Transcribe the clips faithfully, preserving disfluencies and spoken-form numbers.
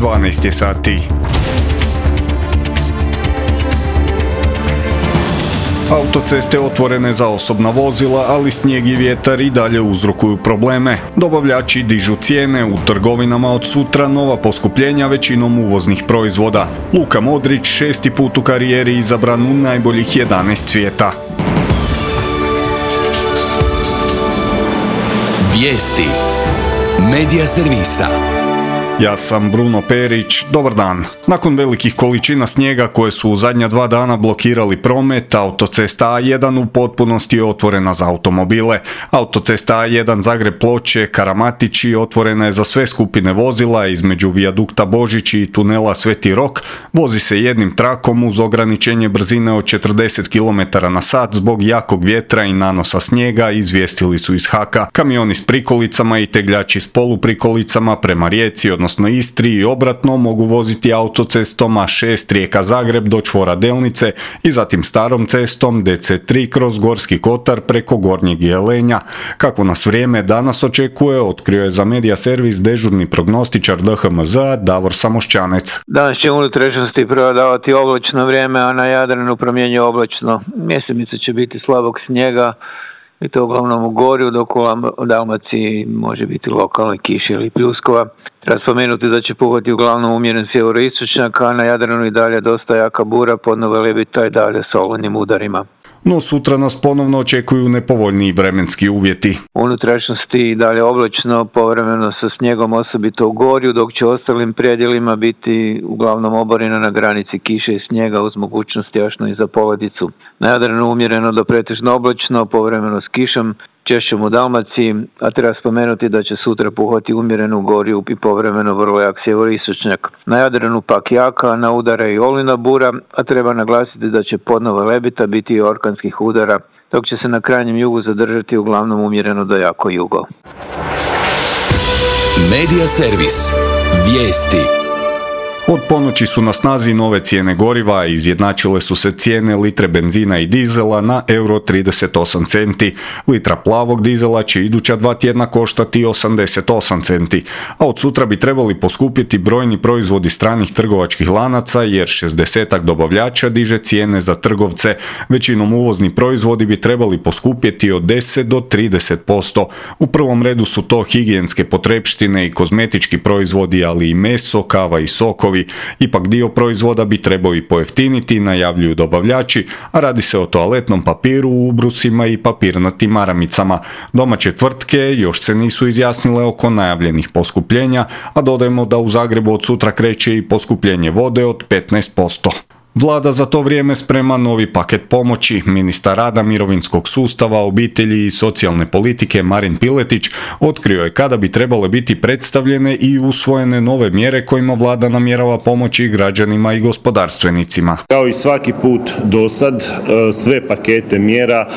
dvanaest je sati. Autoceste otvorene za osobna vozila, ali snijeg i vjetar i dalje uzrokuju probleme. Dobavljači dižu cijene, u trgovinama od sutra nova poskupljenja većinom uvoznih proizvoda. Luka Modrić šesti put u karijeri izabran u najboljih jedanaest svijeta. Vijesti Medija servisa. Ja sam Bruno Perić, dobar dan. Nakon velikih količina snijega koje su u zadnja dva dana blokirali promet, autocesta A jedan u potpunosti je otvorena za automobile. Autocesta A jedan Zagreb-Ploče, Karamatići otvorena je za sve skupine vozila, između vijadukta Božići i tunela Sveti Rok vozi se jednim trakom uz ograničenje brzine od četrdeset kilometara na sat zbog jakog vjetra i nanosa snijega, izvijestili su iz Haka. Kamioni s prikolicama i tegljači s poluprikolicama prema Rijeci, odnosno Istri i obratno, mogu voziti autocestom A šest Rijeka-Zagreb do čvora Delnice i zatim starom cestom D C tri kroz Gorski Kotar preko Gornjeg Jelenja. Kako nas vrijeme danas očekuje, otkrio je za Medija servis dežurni prognostičar D H M Z-a Davor Samošćanec. Danas će unutrašnjosti prevladavati oblačno vrijeme, a na Jadranu promjenjuje oblačno. Mjesemica će biti slabog snijega, i to uglavnom u Gorju, dok u Dalmaciji može biti lokalne kiše ili pljuskova. Treba spomenuti da će puhati uglavnom umjeren sjeveroistočnjak, a na Jadranu i dalje dosta jaka bura, podnove lebita i dalje s olujnim udarima. No sutra nas ponovno očekuju nepovoljniji vremenski uvjeti. Unutrašnjosti i dalje oblačno, povremeno sa snijegom, osobito u Gorju, dok će ostalim predjelima biti uglavnom oborina na granici kiše i snijega uz mogućnost jašno i za poledicu. Na Jadranu umjereno do pretežno oblačno, povremeno s kišom, češćom u Dalmaciji, a treba spomenuti da će sutra puhati umjereno u Gorju i povremeno vrlo jak sjeveroistočnjak. Na Jadranu pak jaka, na udare i olujna bura, a treba naglasiti da će podnova lebita biti i orkanskih udara, dok će se na krajnjem jugu zadržati uglavnom umjereno do jako jugo. Medija servis. Vijesti. Od ponoći su na snazi nove cijene goriva, izjednačile su se cijene litre benzina i dizela na euro trideset osam centi. Litra plavog dizela će iduća dva tjedna koštati osamdeset osam centi, a od sutra bi trebali poskupjeti brojni proizvodi stranih trgovačkih lanaca jer šezdesetak dobavljača diže cijene za trgovce. Većinom uvozni proizvodi bi trebali poskupjeti od deset do trideset posto. U prvom redu su to higijenske potrepštine i kozmetički proizvodi, ali i meso, kava i sokovi. Ipak dio proizvoda bi trebao i pojeftiniti, najavljuju dobavljači, a radi se o toaletnom papiru, ubrusima i papirnatim maramicama. Domaće tvrtke još se nisu izjasnile oko najavljenih poskupljenja, a dodajemo da u Zagrebu od sutra kreće i poskupljenje vode od petnaest posto. Vlada za to vrijeme sprema novi paket pomoći. Ministar rada, mirovinskog sustava, obitelji i socijalne politike Marin Piletić otkrio je kada bi trebale biti predstavljene i usvojene nove mjere kojima vlada namjerava pomoći građanima i gospodarstvenicima. Kao i svaki put do sad, sve pakete mjera,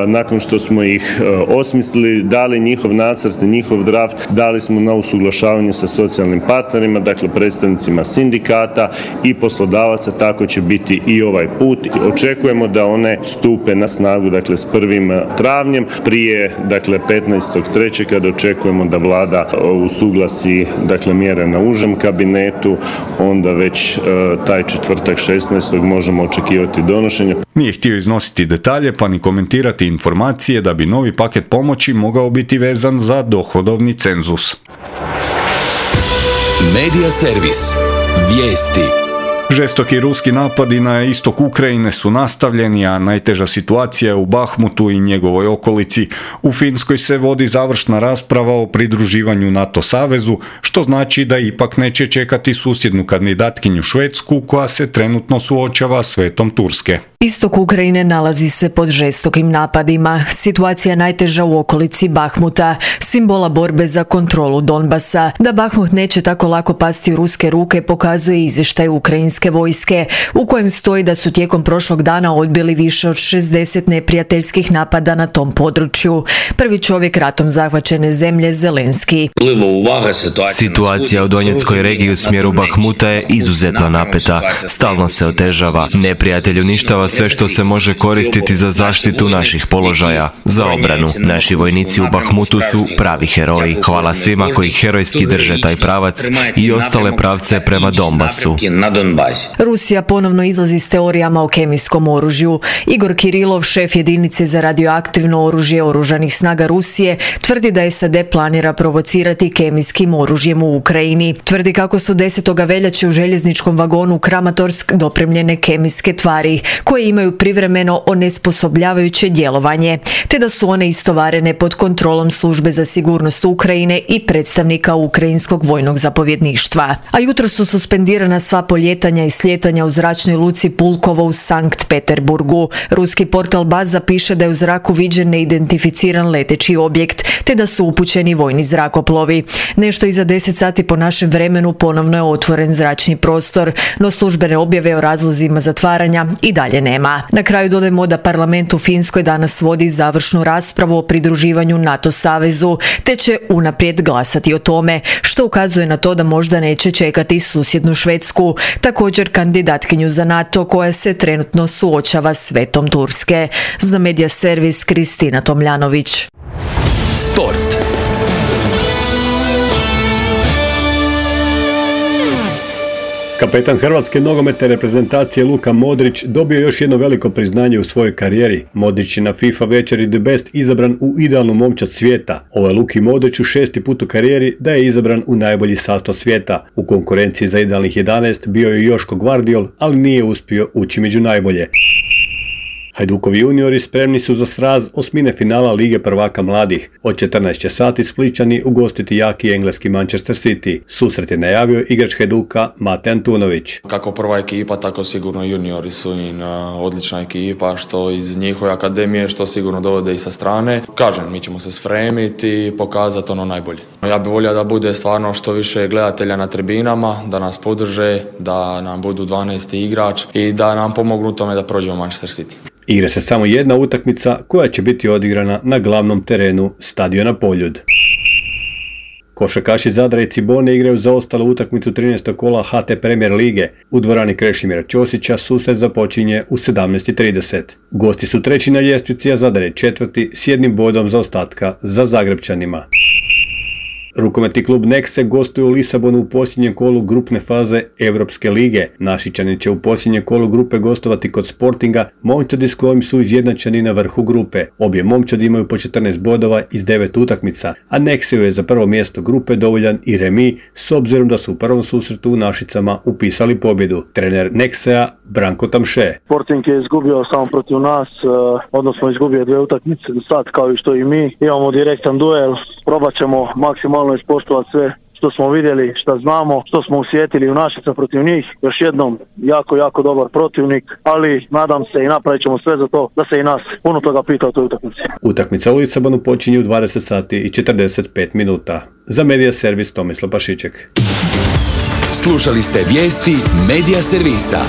nakon što smo ih osmislili, dali njihov nacrt, njihov draft, dali smo na usuglašavanje sa socijalnim partnerima, dakle predstavnicima sindikata i poslodavaca, tako će biti i ovaj put. Očekujemo da one stupe na snagu, dakle, s prvim travnjem, prije, dakle, petnaestog trećeg kada očekujemo da vlada usuglasi, dakle, mjere na užem kabinetu, onda već e, taj četvrtak šesnaestog možemo očekivati donošenje. Nije htio iznositi detalje pa ni komentirati informacije da bi novi paket pomoći mogao biti vezan za dohodovni cenzus. Medija servis. Vijesti. Žestoki ruski napadi na istok Ukrajine su nastavljeni, a najteža situacija je u Bahmutu i njegovoj okolici. U Finskoj se vodi završna rasprava o pridruživanju NATO savezu, što znači da ipak neće čekati susjednu kandidatkinju Švedsku, koja se trenutno suočava s vetom Turske. Istok Ukrajine nalazi se pod žestokim napadima. Situacija je najteža u okolici Bahmuta, simbola borbe za kontrolu Donbasa. Da Bahmut neće tako lako pasti u ruske ruke pokazuje izvještaj ukrajinske vojske, u kojem stoji da su tijekom prošlog dana odbili više od šezdeset neprijateljskih napada na tom području. Prvi čovjek ratom zahvaćene zemlje Zelenski. Situacija u Donjeckoj regiji u smjeru Bahmuta je izuzetno napeta. Stalno se otežava. Neprijatelj uništava kao sve što se može koristiti za zaštitu naših položaja, za obranu. Naši vojnici u Bahmutu su pravi heroji. Hvala svima koji herojski drže taj pravac i ostale pravce prema Donbasu. Rusija ponovno izlazi s teorijama o kemijskom oružju. Igor Kirilov, šef jedinice za radioaktivno oružje oružanih snaga Rusije, tvrdi da S A D planira provocirati kemijskim oružjem u Ukrajini. Tvrdi kako su desetog veljače u željezničkom vagonu u Kramatorsk dopremljene kemijske tvari koje imaju privremeno onesposobljavajuće djelovanje, te da su one istovarene pod kontrolom Službe za sigurnost Ukrajine i predstavnika Ukrajinskog vojnog zapovjedništva. A jutro su suspendirana sva poljetanja i slijetanja u zračnoj luci Pulkovo u Sankt Peterburgu. Ruski portal Baza piše da je u zraku viđen neidentificiran leteći objekt, te da su upućeni vojni zrakoplovi. Nešto iza deset sati po našem vremenu ponovno je otvoren zračni prostor, no službene objave o razlozima zatvaranja i dalje nema. Na kraju dodajemo da parlament u Finskoj danas vodi završnu raspravu o pridruživanju NATO savezu, te će unaprijed glasati o tome, što ukazuje na to da možda neće čekati susjednu Švedsku, također kandidatkinju za NATO koja se trenutno suočava s vetom Turske. Za Medija servis Kristina Tomljanović. Sport. Kapetan hrvatske nogometne reprezentacije Luka Modrić dobio još jedno veliko priznanje u svojoj karijeri. Modrić je na FIFA večeri The Best izabran u idealnu momčad svijeta. Ovo je Luki Modriću šesti put u karijeri da je izabran u najbolji sastav svijeta. U konkurenciji za idealnih jedanaest bio je Joško Gvardiol, ali nije uspio ući među najbolje. Hajdukovi juniori spremni su za sraz osmine finala Lige prvaka mladih. Od četrnaest će sati Splićani ugostiti jaki engleski Manchester City. Susret je najavio igrač Hajduka Mate Antunović. Kako prva ekipa, tako sigurno juniori su i odlična ekipa, što iz njihove akademije, što sigurno dovode i sa strane. Kažem, mi ćemo se spremiti i pokazati ono najbolje. Ja bih volio da bude stvarno što više gledatelja na tribinama, da nas podrže, da nam budu dvanaesti igrač i da nam pomognu tome da prođemo Manchester City. Igra se samo jedna utakmica koja će biti odigrana na glavnom terenu stadiona Poljud. Košarkaši Zadra i Cibone igraju zaostalu utakmicu trinaestog kola H T Premier lige. U dvorani Krešimira Ćosića susret započinje u sedamnaest i trideset. Gosti su treći na ljestvici, a Zadar je četvrti s jednim bodom zaostatka za Zagrepčanima. Rukometni klub Nexe gostuje u Lisabonu u posljednjem kolu grupne faze Europske lige. Našičani će u posljednjem kolu grupe gostovati kod Sportinga, momčadi s kojim su izjednačeni na vrhu grupe. Obje momčadi imaju po četrnaest bodova iz devet utakmica, a Nexeu je za prvo mjesto grupe dovoljan i remi s obzirom da su u prvom susretu u Našicama upisali pobjedu. Trener Nexea Branko Tamše. Sporting je izgubio samo protiv nas, odnosno izgubio dvije utakmice do sad kao i što i mi. Imamo direktan duel, probat ćemo maksimalno ispoštovati sve što smo vidjeli, što znamo, što smo osjetili u Našica protiv njih. Još jednom, jako, jako dobar protivnik, ali nadam se i napravit ćemo sve za to da se i nas puno toga pita o toj utakmici. Utakmica u Lisabonu počinje u dvadeset sati i četrdeset pet minuta. Za Medija servis Tomislav Pašiček. Slušali ste vijesti Medija servisa.